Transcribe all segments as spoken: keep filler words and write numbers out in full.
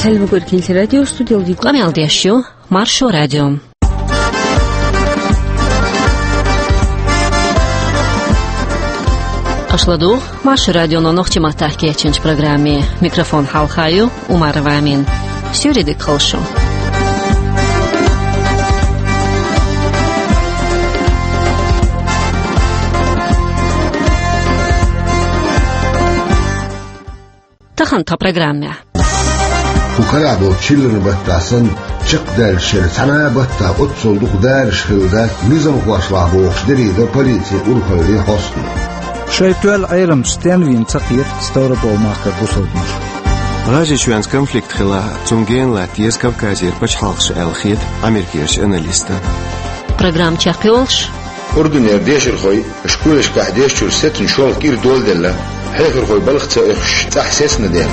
Эльмагуркин радио студиялди къамел деш ю Маршо радио. Аша ладугӀу Маршо радионо нохчийн маттахь кечйинчу программе. Микрофон хьалха ю Умарова Амина. Суьйре дика хуьлда шун. Тахана тхан программехь. Кху карахь болчу чиллан баттахь санна, чекхдаьллачу шеран цхьана а баттахь оццул дукха дараш хилла дац низамхошлахь бохуш, дерриг до полицин урхаллин хьостано. Шайн тоьлла Ӏеламчу стенна вийна ца кхета Ставрополь-махкара бусалбанаш. ГӀажарийчоьнца конфликт хилахь, цунна гена латта еза Кавказера пачхьалкхаш аьлла хета Америкерчу аналиста. Программа чекхйолуш. Урдунера дешархой школашкахь дешначуьра сецна шолгӀа кӀира доладелла, хьехархой балха ца оьхуш цӀахь сецна дела.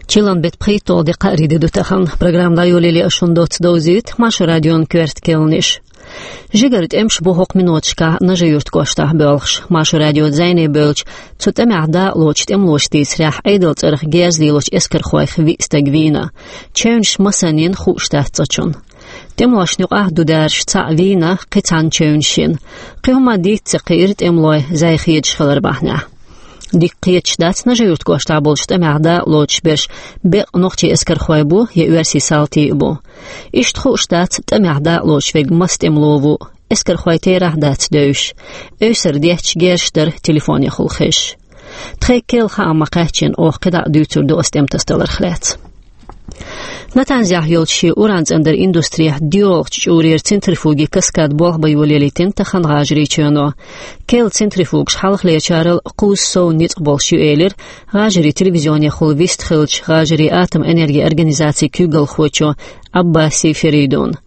Чиллан беттан пхийтталгӀа де, кхаарин де ду тахана. Программа дӀайолале ас шуна доцца довзуьйту Маршо радион коьрта керланаш. Жигара тӀемаш бу хӀокху миноташкахь Нажи-Юьртан кӀоштахь боьлхуш. Маршо радион зӀене бевллачу, цу тӀамехь дакъалоцучу тӀемалоша дийцарехь, Ӏедалан цӀарах герз лелочу эскархойх виъ стаг вийна. Чевнаш масанна йина хууш дац цкъачунна. ТӀемалошна юкъахь ду дараш цхьаъ вийна, кхин цхьанна чевнаш йина. Кхин хӀума дийца ца кхиира тӀемалой зӀе хедаш хилар бахьанехь. Дика кхеташ дац, Нажи-Юьртан кӀоштахь болчу тӀамехь дакъалоцуш берш беккъа нохчийн эскархой бу я оьрсийн салтий а бу. Иштта хууш дац тӀамехь дакъалоцуш верг маса тӀемало ву, эскархой терахь а дац девзаш. Эвсара детташ герзаш дара телефонехула хезаш. Тхайн керла хаам ма-кхаьччина, оха кхидӀа а дуьйцур ду ас тӀематасадаларх лаьцна. Натанзехь йолчу шен уран цӀандаран индустрехь доьалгӀачу чкъурера центрифуги «Каскад» болх бан йолаелийтина тахана ГӀажарийчоьно. Керла центрифугаш хьалхалерчарал кхузза сов ницкъ болуш ю, элира ГӀажарийн телевизионехула вистхиллачу ГӀажарийн атоман энергин организацин куьйгалхочо Ӏаббаси Феридуна.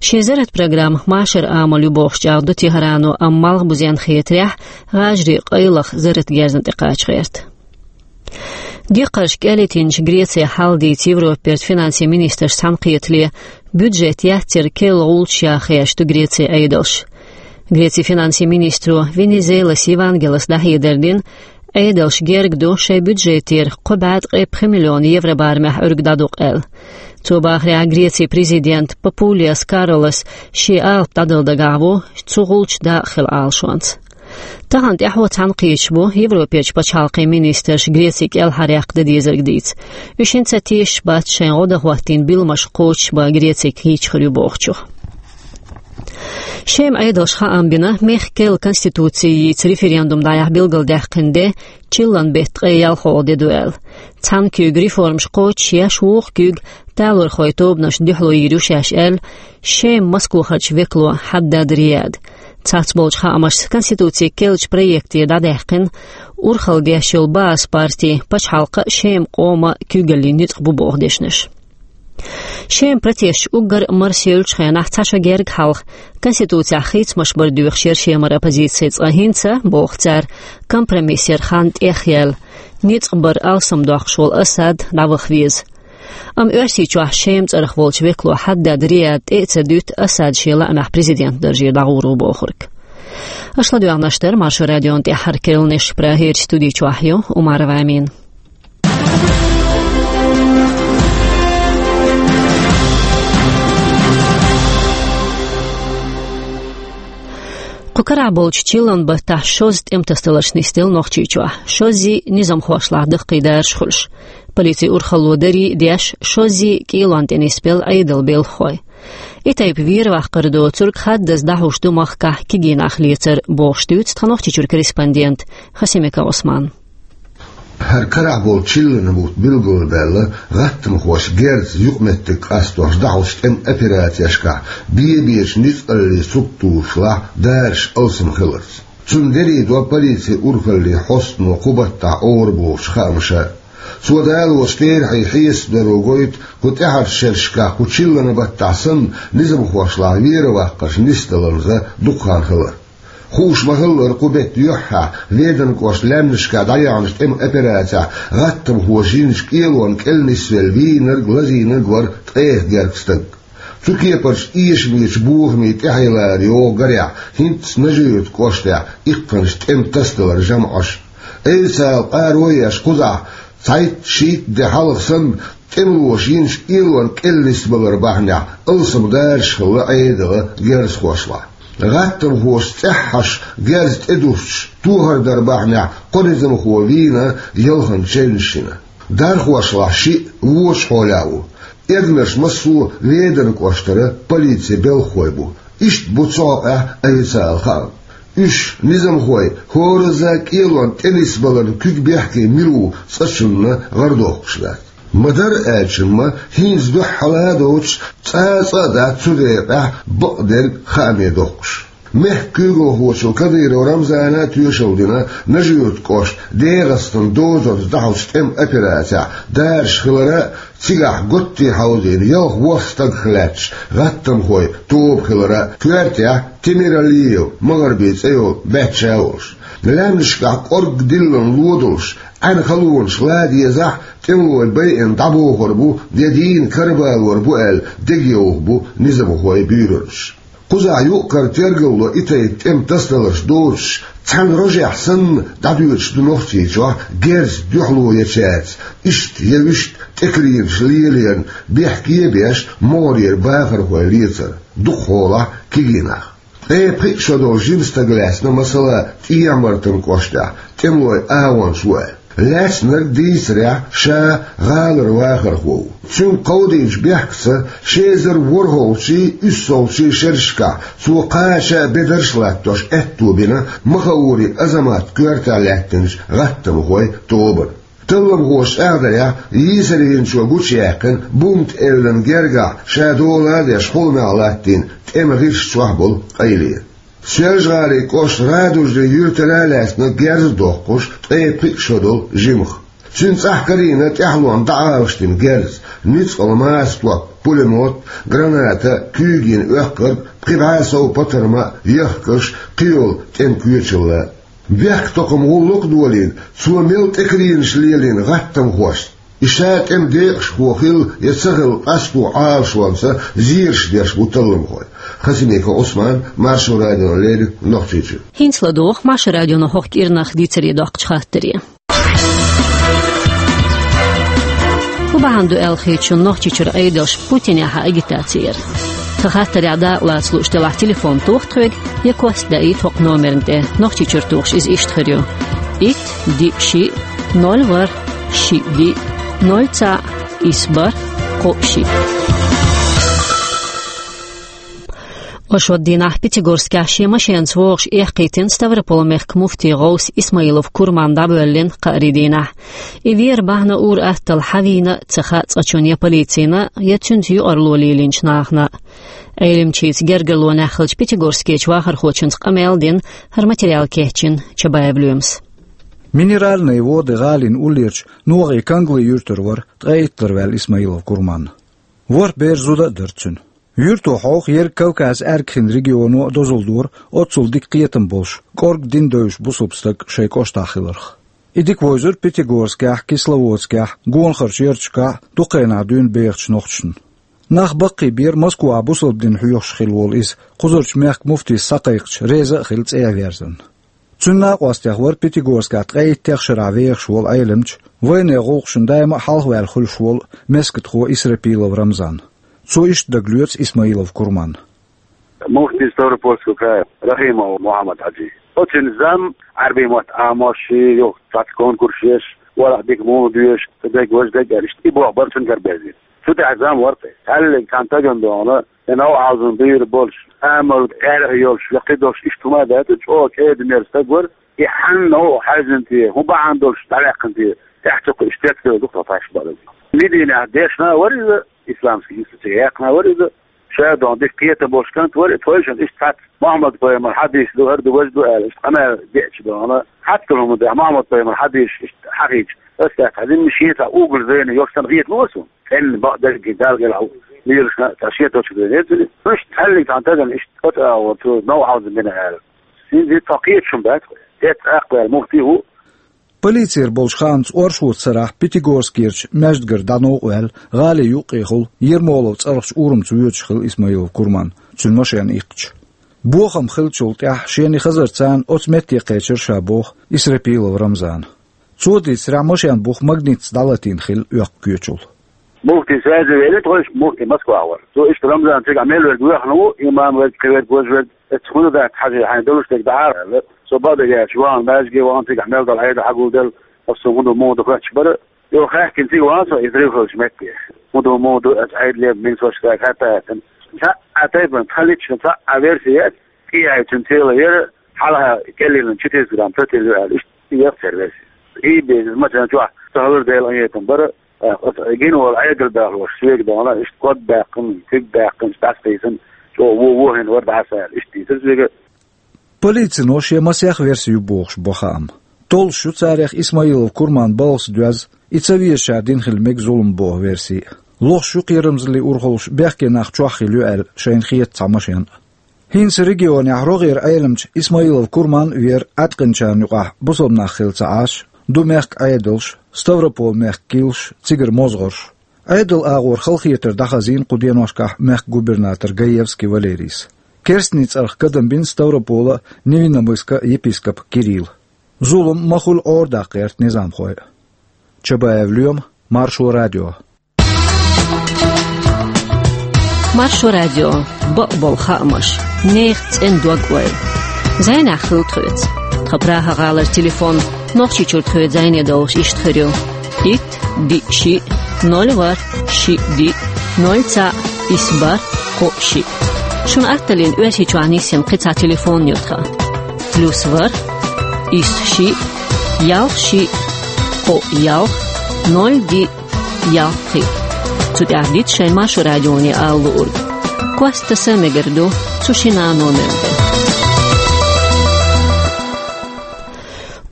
Шен зарратан программа машаран амал ю бохуш чӀагӀдо ТехӀарано, амма малхбузенна хетарехь, ГӀажарий къайлаха зарратан герзана тӀекхача гӀерта. Декхарш кӀелийтинчу Грецин хьал дийца Европерчу финансийн министраш цхьаьнакхетале, бюджет яцъяр керла гӀулчаш яха хьийзаш ду Грецин Ӏедалш. Грецин финансийн министро Венизелас Евангелас дӀахьедар дина, Ӏедалш герга ду шайн бюджетера кхо бӀе ткъе пхи миллион евро барамехь Ӏуьрг дӀадукха аьлла. Цо бахарехь, Грецин президент Папулиас Карлос шен алапа дӀадала дагахь ву цу гӀулчан дакъа хила Ӏалашонца. Тахана тӀаьхьо цхьаьнакхеташ бу Европерчу пачхьалкхийн министраш Грецин кӀелхьаръяккха дан дезарг дийца. Уьш хӀинца а тешаш бац шайн гӀо дан хӀоттийна билламаш кхочушбан Грецига кийча хир ю бохучух. Шеман Ӏедалша хаам бина, мехкан керла конституци йийца референдум дӀаяхьа билгалдаьккхина де чиллан беттан ткъе ялхолгӀа де ду аьлла. Цхьана куьйга реформаш кхочушъеш, вукху куьйга талорхойн тобанашна дуьхьало йийр ю шаьш аьлла, Шеман Москвахарчу векало Хьаддад Рияда. Цхьаболчу хаамашца, конституцин керлачу проекте дӀадаьккхина урхалла деш йолу Баас парти пачхьалкхан а, Шеман къоман а куьйгаллин ницкъ бу боху дешнаш. Шеман протесташ уггар а марсъеллачу хенахь цхьа шо герга хьалха конституцехь хийцамаш бар доьхуш яра Шемара оппозици, цкъа хӀинца, боху цара, компромисс яра хан тӀехъяьлла, ницкъ бар алсамдоккхуш волу Асад дӀаваха веза. Амма Оьрсийчохь Шеман цӀарах волчу векало Хьаддад Рияда тӀе а ца дуьту Асад шен лаамехь президентан даржера дӀагӀур ву бохург. Аша ладоьгӀнарш дара Маршо радион тӀаьххьара керланаш, Прагерчу студи чохь ю Умарова Амина. Кху карахь болчу чиллан баттахь шозза тӀематасадаларш нисделла Нохчийчохь, шоззий низамхошлахь даккхий дараш хуьлуш. Полицин урхалло дарий а деш, шоззий кӀелонна тӀе нисбелла Ӏедалан белхахой. И тайпа вер-ваккхар доцург хаддаза дӀахьуш ду махкахь кегий нах лецар, бохуш дуьйцу тхан Нохчийчуьра корреспондента Хасимиков Ӏусмана. ХӀара карахь болу чиллан бутт билгалбаьлла гӀаттамхоша герзаца юкъаметтиг къастош дӀахьочу тӀеман операцешкахь бен-бечу ницкъаллийн структурашлахь дараш алсам хиларца. Цунна дерриг до полицин урхаллин хьостано кху баттахь ора бохучу хаамаша. Цо далочу терахьийн хьесапдаро гойту, кху тӀаьхьарчу шерашкахь кху чиллан баттахь санна низамхошлахь вер-ваккхарш нисдаларна дукха хан хилар. Хууш ма-хиллара, кху беттан юьххьехь Веданан кӀоштан лаьмнашкахь дӀаяьхьначу тӀеман операцехь гӀаттамхоша йинчу кӀелонна кӀел нисвелла вийнарг, лазийнарг вара ткъех гергга стаг. Цу кепарчу эшамечу бохамийн тӀаьхье лара йогӀу гарехь, хӀинцца Нажи-Юьртан кӀоштахь иккханаш тӀеман тасадаларан жамӀаш. Эвсала къаро еш кхузахь цхьайтта-шийтта де хьалха санна, тӀемалоша йинчу элонан кӀел нисбалар бахьанехь алсам дараш хилла Ӏедалан герзахошлахь. ГӀаттамхоша цӀеххьана герз тӀедустуш тохар дар бахьанехь кхо низамхо вийна, ялханчу чевнаш йина. Дархошлахь шиъ вочу хьолехь ву. Эргнаш массо а Веданан кӀоштара полицин белхахой бу. Иштта бу цу хьокъехь официалан хаам. Уьш, низамхой, хӀоразза кӀелонан тӀенисбаларна куьг бехке мила ву цкъачунна гӀардоккхуш дац. Ма-дарра аьлча-м, хӀинца дуьххьара а доцуш, цкъа а дац цу декъехь бакъдерг хааме доккхуш. Мехкан куьйгалхочо Кадыров Рамзана а тоьшалла дина, Нажи-Юьртан кӀошта ДегӀастан дозанца дӀахьочу тӀеман операцехь дараш хилар а, цигахь готте хьовзийна ялх-ворхӀ стагах лаьтташ гӀаттамхойн тоба хилар а, коьртехь Темиралиев МагӀарби цӀе йолу баьчча а волуш. Лаьмнашкахь кӀорггера диллина ло долуш, Ӏаьнан халонаш ла дезахь, тӀемалой байина дӀабохур бу, я дийна карабалор бу аьлла, дегайовхо бу низамхойн буьйранаш. Кхузахь юкъ-кара тергалло и тайпа тӀеман тасадаларш доцуш, цхьана рожехь санна дӀадоьдуш ду Нохчийчохь герз дуьхьало ечаьрца, иштта я вуьшта тӀекаренаш лелорна бехке а беш, могӀарера бахархой лецар, дукхахьолахь кегий нах. Ткъе пхи шо долу жима стаг лаьцна, масала, ТӀехьа-Мартан кӀоштахь, тӀемалойн агӀончаш ву аьлла. Лаьцнарг дийцарехь, ша гӀалара вахархо ву. Цуьнга кховдийначу бехкаца ши эзар ворхӀалгӀачий, уьссалгӀачий шерашкахь цо кхача а бедарш а латтош аьтто бина Махаури Азаматан коьртехь лаьттинчу гӀаттамхойн тобанна. Талламхоша чӀагӀдарехь, йийсархочо гучуяьккхина бунт-эвлан гергахь ша дола а деш, хьуламехь латтийна тӀеман гӀирс чохь болу къайле. Соьлжа-ГӀалин кӀоштан Радужный юьртара а лаьцна герз а доккхуш, ткъе пхи шо долу жимха. Цуьнан цӀахь карийна тӀаьхьалонна дӀаӀалашдина герз, ницкъала маса топ, пулемёт, граната, куьйган оьккхарг, пхи бӀе сов патарма, яхкаш, кхийолу тӀеман коьчалла. Бехктакхаман гӀуллакх а долийна, цо мел тӀекаренаш лелийна гӀаттамхошца, и ша тӀеман декъашхо хилла я ца хилла къасто Ӏалашонца зераш деш бу талламхой. Хасимиков Ӏусман, Маршо радиона леррина, Нохчийчуьра. ХӀинца ладогӀа Маршо радион хӀокху кӀирнах дийцаре доккхучу хаттаре. ХӀун бахьана ду аьлла хеташ шуна Нохчийчуьра Ӏедалш Путинехьа агитаци яр? Тхан хаттарехь дакъа лаца лууш делахь, телефон тоха тхоьга я кост даийта хӀокху номерна тӀе. Нохчийчуьра тухуш иза иштта хир ю: итт, диъ, шиъ, ноль, ворхӀ, шиъ, диъ, ноль, цхьаъ, исс, бархӀ, кхоъ, шиъ. Ошо дийнахь Пятигорскехь шен машенаца вогӀуш эккхийтина Ставрополь-мехкан муфтин гӀовс Исмаилов Курман дӀабоьллина кхаарин дийнахь. И вер бахьана ур-атталла хьан вийна а ца хаьа цкъачунна я полицина, я цуьнца юкъарло лелийначу нахана. Ӏелимчица гергарлонехь хиллачу пятигорскечу вахархочуьнца къамел а дина, хӀара материал кечйина Чабаев Лоьмас. Минеральные Воды гӀалин уллерчу НогӀийн Кангли юьртара вара ткъе итт лар ваьлла Исмаилов Курман. ВорхӀ бер, зуда а дара цуьнан. Юьрто хьовха ерриг Кавказан аьргахин регионо а дозалла дора оццул дика кхетам болуш, кӀорга дин девзаш бусалба стаг шайн кӀоштахь хиларх. И дика вевзира Пятигорскехь, Кисловодскехь, гонахарчу ярташкахь а дукха хенахь дуьйна бехачу нохчашна. Нах баккхийбира Москвахь бусалба дин хьоьхуш хилла волу иза, кхузарчу мехкан муфтис схьакхайкхича, реза а хилла цӀе а верзина. Цуьнан накъостех вара Пятигорскехь ткъе иттех шарахь вехаш волу Ӏелимча, вайнехан гӀуллакхашна даима а хьалхаваьлла хуьлуш волу мескатхо Исрапилов Рамзан. Цо иштта дагалоьцу Исмаилов Курманна. Муфти Ставропольского края Рахимов Мухаммад-Хьаджи. Оцу цуьнан зам, Ӏаьрбийн мотт Ӏамош, юха цхьацца конкурс еш, валахь дика муха доьшу, сан дерг важа дерг аьлла, иштта и болх бара цуьнан караберзийта. Цу тӀехь зам вара тхе. Цхьаьллиг цхьана стагана дохана, я новкъахьалзина буьйр болуш, амал гӀаьрах йолуш, я кхидолуш иштта хӀума а дац, чӀогӀа кӀеда-мерза стаг вара, и хьанна новкъахьаьвзина те, хӀун бахьана долуш дӀаваьккхина те, тӀаьхьа чу кхуьуш тетталур ду-кх тхо фарш баьлла. Мединехь дешна а вара иза, исламский институтехь яьккхина а вара иза, ша дохана дика кхетам болуш кӀант вара, тхойшинна иштта цхьацца Мухаммад-пайхамаран хьадисаш ду, хӀара ду, важа ду аьлла, иштта къамел деъча дохана, хьаьццал хӀума даьхьа, Мухаммад-пайхамаран хьадисаш иштта хьахийча, аса дац хьаьдина, шен цхьа угол зайна йолуш санна хетало суна. ЦӀена бакъдерг Дала гӀелахь ву, лелаш а цхьа шен точка зрения ца ли. Иштта цхьаьллиг цхьана стагана иштта оцу агӀор цо новкъахьалзина бина аьлла. ХӀинца тхо кхеташ хӀума дац, эцца аккха ваьлла муфти а ву. Полицера болчу хаамца, оршот сарахь Пятигорскерчу маьждигара дӀа новкъа ваьлла, гӀали юккъехула Ермолов цӀарахчу урамца воьдуш хилла Исмаилов Курман, цуьнан машен иккхича. Бохам хиллачул тӀаьхьа шен хазарца оцу метте кхечира ша, боху Исрапилов Рамзана. Цо дийцарехь, машен бух магнитца дӀалатийна хилла оьккху коьчул. Муфти саьза велира тхойшка, муфти Москва вара. Цо иштта: «Рамзан, цигахь мел верг воьхна ву, имам верг, кхин верг, важа верг, эццахь хӀунда дац хьажий хьайна долуш дерг дӀа а», аьлла. Со бакъдерг аьлча, вахана маьждиге вахана, цигахь мел долу Ӏедал хьагулделла, оцу хӀун ду, муха ду хоьттуш бара. Юха хаьттина цига вахана со, иза рив хиллачу метте. ХӀун ду, муха ду, аса Ӏедале, мин со шаьш хатта а хаьттина. Цхьаъ а тайпана, цхьа лична, цхьаъ а версия яц, кӀиаьй цуьнан цӀе яра, хьалха кӀеллина четыреста грамм тӀе тилла ю аьлла, иштта яц церан версия. И беза, машен чохь ца хилар Делан къинхетам бара, оцу гина волу Ӏедал баьхлош соьга дохна, иштта код баьккхина, куьг баьккхина, дӀасакхийсина, чӀогӀа вон вохийна вара дӀасаьлла, иштта дийцира соьга. Полицино шен масех верси ю бохуш бо хаам. Толлуш ю царех Исмаилов Курман балхаца доьзна, и ца везачара дина хила мега зулам боху верси. Лохуш ю кхерамзаллин урхаллаш бехке нах чохь хилла ю аьлла шайна хета цхьа машен а. ХӀинца регионехь рогӀера Ӏеламча Исмаилов Курман а вер Ӏаткъинчарна юкъахь бусалба нах хилла ца Ӏаш, ду мехкан Ӏедалш, Ставрополан мехкан кийлаш, цигара мозгӀарш. Ӏедалан агӀор халахетар дӀахазийна кху деношкахь мехкан губернатор Гаевский Валерийс. Керстанийн цӀарах кадам бина Ставрополан а, Невинномысскан а епископ Кирилла. Зулам ма хуьллу Ӏорадаккха гӀерта низамхой а. Чабаев Лоьма, Маршо радио. Маршо радио. Бакъболу хаамаш. Нехан цӀена дог-ойла. Зайнахь хила тхоьца. Тхан Прага-гӀалара телефон Нохчийчуьра тхоьца зайне долуш иштта хир ю: итт, диъ, шиъ, ноль, ворхӀ, шиъ, диъ, ноль, цхьаъ, исс, бархӀ, кхоъ, шиъ. Шуна атталлина Оьрсийчохь нисъян кхин цхьа телефон ю тхан: плюс ворхӀ, исс, шиъ, ялх, шиъ, кхоъ, ялх, ноль, диъ, ялх, пхиъ. Цу тӀехь дита шайн Маршо радионе ала луург. Кост таса мегар ду цу шина номер тӀе.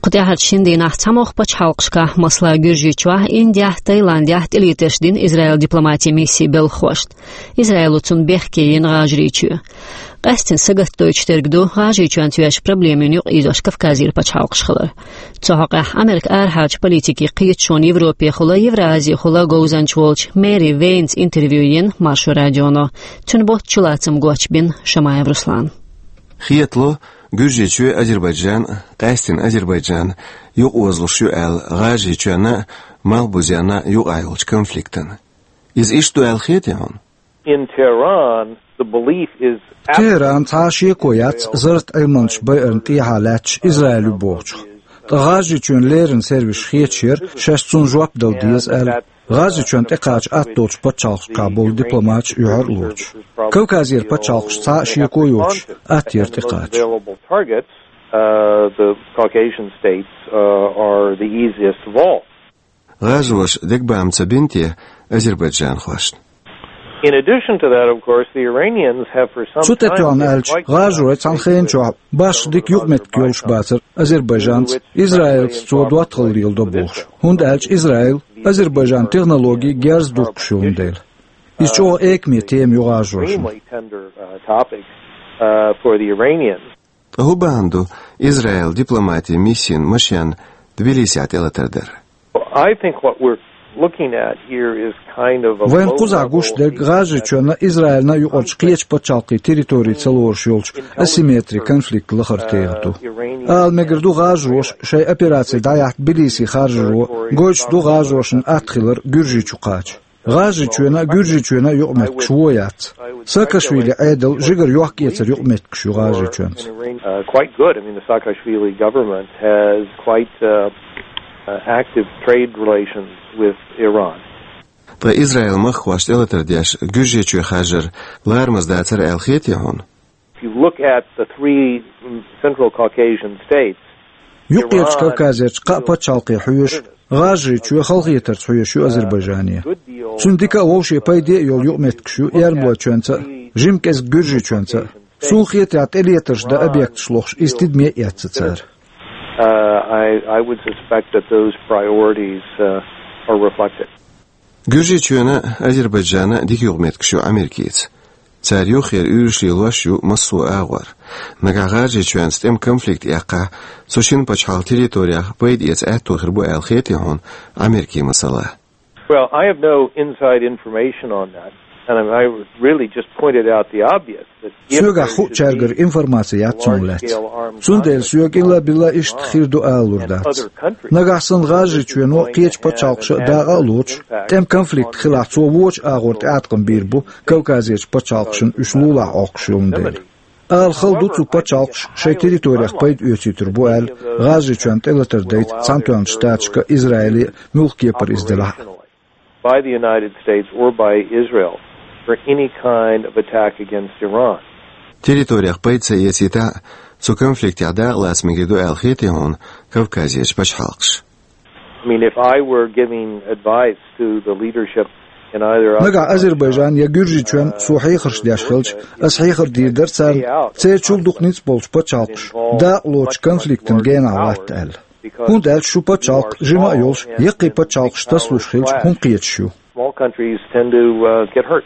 Кху тӀаьхьарчу шина дийнахь цхьамогӀа пачхьалкхашкахь, масала, Гуьржийчохь, Индехь, Таиландехь тӀелетарш дина Израилан дипломатин миссин белхахошна. Израило цунна бехке йина ГӀажарийчоь. Къаьсттина сагатдойтуш дерг ду ГӀажарийчоьнца йоьзначу проблемийн юкъаийзош Кавказера пачхьалкхаш хилар. Цу хьокъехь Американ арахьарчу политикийн кхеташонан Европехула, Евразехула говзанча волчу Мэри Вейнца интервью йина Маршо радионо. Цуьнан боццу чулацам гочбина Шамаев Руслана. Хетало, Гуьржийчоь а, Азербайджан а, къаьсттина Азербайджан а юкъаозалуш ю аьлла ГӀажарийчоьнна а, Малхбузенна а юкъахь йолчу конфликтана. Иза иштта ду аьлла хетий хьуна? In Tehran, the belief is Техьран цхьа а шеко яц зарратан Ӏилманчаш байарна тӀехьа лаьтташ Израиль ю бохучух. Ткъа ГӀажарийчоьнан леррина сервисаша хеташ яра, шаьш цунна жоп дала деза аьлла, ГӀажарийчоьнна тӀекхача атта долчу пачхьалкхашкахь болу дипломаташ оьхьар а лоцуш. Кавказера пачхьалкхашца цхьа а шеко йоцуш, атта яра тӀекхача. Available targets, uh, the Caucasian states, uh, are the easiest of all. ГӀажароша дегабаам ца бина те азербайджанхошна? In addition to that, of course, the Iranians have for some Цу тӀе time тоьхна been аьлча, quite ГӀажарой цхьана хенан чохь башха дика юкъаметтиг йолуш бацара азербайджанца, Израилца цо доттагӀалла леладо бохуш, хӀунда аьлча Израил Азербайджанан технологийн герз духкуш йолун дела. Иза чӀогӀа экаме тема ю ГӀажарошна. Extremely tender, uh, topic, uh, for the Iranians. Ткъа хӀун бахьана ду Израилан дипломатин миссин машен Тбилисехь тӀелатар дар? I think what we're looking at here is kind of a Вайн кхузахь гуш дерг ГӀажарийчоьнна а, Израилна а юкъарчу кхечу пачхьалкхийн территори ца лоруш йолчу асимметри конфликт лахара тӀегӀа ду. Ала мегар ду, гӀажароша шайн операци дӀаяхьа Тбилиси харжаро гойтуш ду ГӀажарошна атта хилар Гуьржийчу кхача. ГӀажарийчоьнна а, Гуьржийчоьнна а юкъаметтигаш вон яц. Саакашвили Ӏедал жигара йохк-эцар юкъаметтигаш ю ГӀажарийчоьнца. Uh, quite good. I mean, the Saakashvili government has quite, uh, uh, active trade relations with Iran. Ткъа Израилан махкахошна тӀелатар деш Гуьржийчоь харжар ларамаза дацара аьлла хетий хьуна? If you look at the three, mm, Central Caucasian states, Юккъерчу Кавказерчу кхаа пачхьалкхе хьоьжуш, ГӀажарийчоь халахетарца хьоьжуш ю Азербайджане. Цуьнан дика а, вовшийн пайде а йолу юкъаметтигаш ю Эрмалойчоьнца а, жима кӀезиг Гуьржийчоьнца а. Суна хетарехь, тӀелетарш дан объекташ лохуш, иза тидаме а эцна цара. Uh, I, I would suspect that those priorities, uh, are reflected. Гуьржийчоьнан а, Азербайджанан а дика юкъаметтигаш ю Америкица. Цара юххера уьйраш лелош ю массо а агӀор. Нагахь ГӀажарийчоьнца тӀеман конфликт эккхахь, цу шина пачхьалкхан территорех пайда эца аьтто хир бу аьлла хетий хьуна Америкин масала? Well, I have no inside information on that, and I really just pointed out the obvious, that if Соьгахь хуучаьргара информаци яц цунна лаьцна. Цундела соьга илла-билла иштта хир ду алалур дац. Нагахь санна ГӀажарийчоьно, кхечу пачхьалкхаша дакъа а лоцуш, тӀеман конфликт хилахь, цо вочу агӀор тӀеӀаткъам бийр бу Кавказерчу пачхьалкхашна уьш лулахь Ӏоккхуш йолун дела. Ала хала ду, цу пачхьалкхаша шайн территорех пайда оьцуьйтур бу аьлла, ГӀажарийчоьнна тӀелатар дайта Цхьаьнатоьхначу Штаташка, Израиле, муьлхха кепара иза делахь а. By the United States or by Israel for any kind of attack against Iran. Территорех пайда ца эцийтахь а, цу конфликтехь дакъа лаца мегар ду аьлла хетий хьуна Кавказерчу пачхьалкхаша? I mean, if I were giving advice to the leadership in either Нагахь Азербайджан я Гуьржийчоьнна со хьехарш деш хилча, ас хьехар дийр дара царна, церан чул дукха ницкъ болчу пачхьалкхаша дакъа лоцучу конфликтана генахь латта аьлла. ХӀунда аьлча шу пачхьалкх жима а йолуш, яккхий пачхьалкхаш тасалуш хилча, хӀума кхеташ ю. Small countries tend to, uh, get hurt.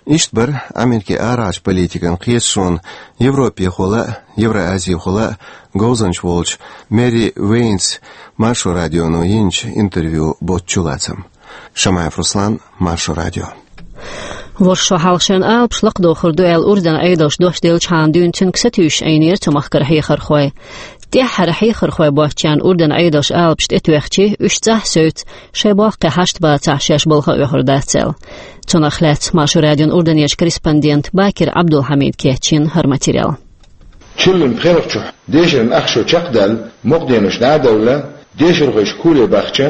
Иштта бара Америкин арахьарчу политикан кхеташонан Европехула а, Евразехула а говзанча волчу Мэри Вейнс Маршо радионо йинчу интервью боцчу лацам. Шамаев Руслан, Маршо радио. ВорхӀ шо хьалха шайн алапаш лакхадохур ду аьлла Урдан Ӏедалша дош делчхьана дуьйна цуьнга сатуьйсуш Ӏийнера цу махкара хьехархой. ТӀаьххьара хьехархой боцчарна Урдан Ӏедалша алапаш тӀетоьхча, уьш цӀахь а севцца, шайн боккхий хьашт бацахь, шаьш балха а оьхур дац аьлла. Цунах лаьцна Маршо радион Урданерчу корреспондента Бакир Ӏабдулхьамида кечйина хӀара материал. Чиллин пхелагӀчохь дешаран ах шо чекхдаьлла, мукъа денаш дӀа а девлла, дешархой школе бахча,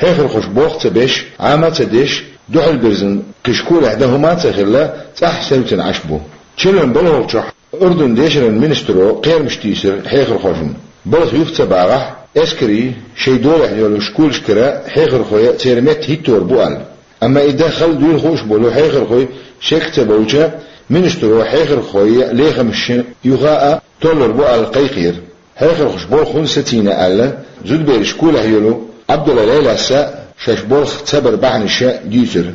хьехархоша болх ца беш, Ӏама а ца деш, дуьхьал бирзина кхин школехь дан хӀума а ца хилла, цӀахь а севцина Ӏаш бу. Чиллин балхалгӀачохь Урдан дешаран министро кхерамаш тийсира хьехархошна. Балха юха ца багӀахь, эскарийн, шайн долехь йолу школашкара хьехархой а, церан метта хӀиттор бу аьлла. Амма и дан хала дуьйна хууш болу хьехархой шек ца болча, министро хьехархойн лехамашна юха а толлур бу аьлла кхайкхийра. Хьехархоша болх хӀунда сацийна аьлла, зудабераш школехь йолу Ӏабдулла Лайлас а шаьш болх ца баран бахьанаш а дуьйцура.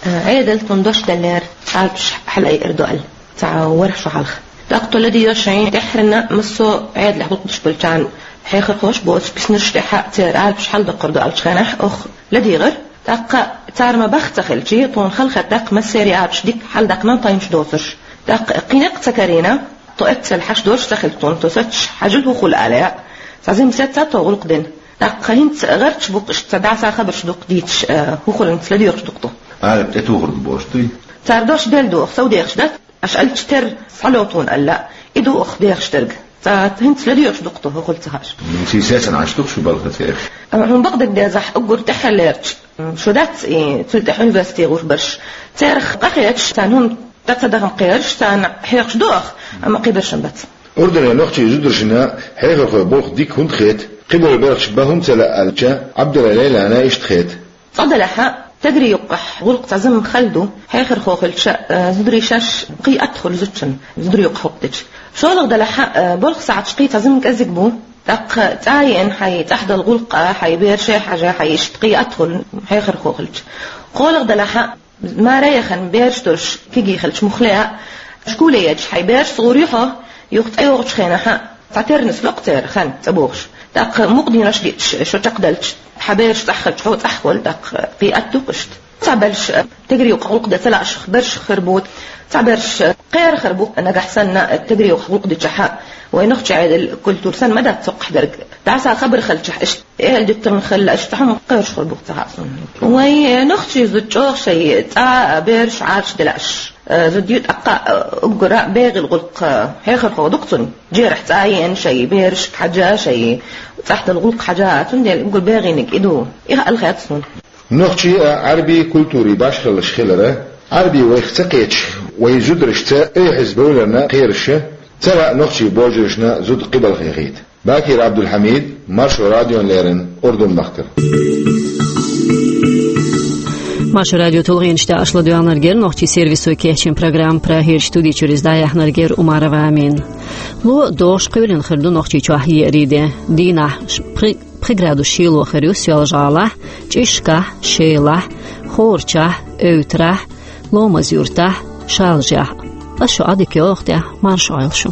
Ӏедал тхуна дош деллера, алапаш хьалаайъар ду аьлла, цхьа ворхӀ шо хьалха. ТӀаккха тхо ладийгӀира шайн тӀаьххьарна массо а Ӏедалехь гӀуллакх деш болчарна, хьехархоша боцу биснарш тӀехь а церан алапаш хьаладаккхар ду аьллачу хенахь, оха ладийгӀира. ТӀаккха цара ма-баххара ца хилча, тхуна хала хетта, тӀаккха массеран алапаш дика хьаладаккхина тхайнаш доцурш. ТӀаккха кхин некъ ца карийна, тхо эццал хьашт доцуш ца хилча тхуна, тхо сацош хьажал хӀун хуьлу аьлла. Цхьа жима сецна тхо гӀуллакх дина. ТӀаккха хӀинца гӀерташ бу-кх иштта, цхьа дӀаса хабарш ду-кх дийцаш, э, хӀун хуьлу, ца ладоьгӀуш ду-кх тхо. Алапаш тӀетухур ду бохуш дуй? Цара дош делла ду, оха сов дехаш дац, аша аьллачу терра схьало тхуна аьлла, и ду оха дехаш дерг. Цхьа хӀинца ладоьгӀуш ду-кх тхо, хӀун хуьлу ца хаьаш. Ну, сий сецна Ӏаш ду-кх шу балха цераш. Э, хьуна бакъдерг дезахь, уггар тӀаьххьарлерчу, м, шо дац и, цул тӀаьхьа университете гӀур берш. Церах къахеташ, царна хӀума дан ца дахана кхераш, царна хьехаш ду оха, амма кхин берш-м бац. Урдане нохчийн зударшна хьехархойн болх дика хӀунда хета, кхидолу белхаш бан хӀунда ца лаьа аьлча, Ӏабдулла Лайлана иштта хета. Цкъа делахь а, тегри юккъехь гӀуллакх цхьа жима хала ду, хьехархо хилча, э, зударий шаьш кхин атта хуьлу зудчунна, зударий юккъехь гӀуллакх дича. ШолгӀа делахь а, э, болх сахьташ кхин цхьа жима кӀезиг бу, тӀаккха цӀа а еана хьайн цӀахь долу гӀуллакха, хьайн бераша хьажа, хьайн иштта кхин атта хуьлу хьехархо хилча. КхоалгӀа делахь а, маре яхана бераш долуш кегий хилча муххале а, школе ечу хьайн берашца гӀур ю хьо, юха цӀа йогӀучу хенахь а, цхьатерра нисло-кх церан хан цӀа богӀуш. ТӀаккха мукъа денош диъча, шо чекхдаьлча, хьан бераш цӀахь хилча, хьо цӀахь хуьлу, тӀаккха кхин атта ду-кх иштта. Цхьаберш, э, тегри юккъехь гӀуллакх дан ца лааш берш хир бу, цхьаберш, э, кхерар хир бу, нагахь санна, э, тегри юккъехь гӀуллакх дичахь а, вайн нохчийн Ӏедал, культура санна ма дац цхьаккха дерг. ДӀаса хабар хилчахь, иштта эхьал дитина хилла, иштта хӀума кхоьруш хир бу-кх ца хаьа суна. Вайн нохчийн зуда чӀогӀа шайн цӀа, бераш Ӏараш делахь, э, зуда ю, тӀаккха, э, уггара бегӀийла гӀуллакх, э, хьехархо ду-кх цунна. Жерахь цӀа а еана шайн берашка хьажа, шайн цӀахь долу гӀуллакх хьажа, цундела уггар бегӀийниг и ду. И хаьа аьлла хета суна. Нохчийн а, Ӏарбийн культурин башхаллаш хилар, Ӏарбий вайх ца кхеташ, вайн зударшца айхьаза бевларна кхераш, цара а нохчийн божаршна зуда кхин балха хета. Бакир Ӏабдулхьамид, Маршо радиона леррина, Урдун-махкара. Маршо радион тулгӀенаш тӀехь аша ладоьгӀнарг яра нохчийн сервисо кечйина программа, Прагерчу студи чуьра иза дӀаяьхьнарг яра Умарова Амина. Ло а догӀуш кхоьлина хир ду Нохчийчохь еарин де. Дийнахь ш-, пхи-, пхи градус шело хир ю Соьлжа-ГӀалахь, ЧӀишкахь, Шелахь, Хорачахь, Эвтарахь, Ломаз-Юьртахь, Шалжехь. Ас шо Ӏадика йоагӀа тӀехь, марша Ӏойла шу.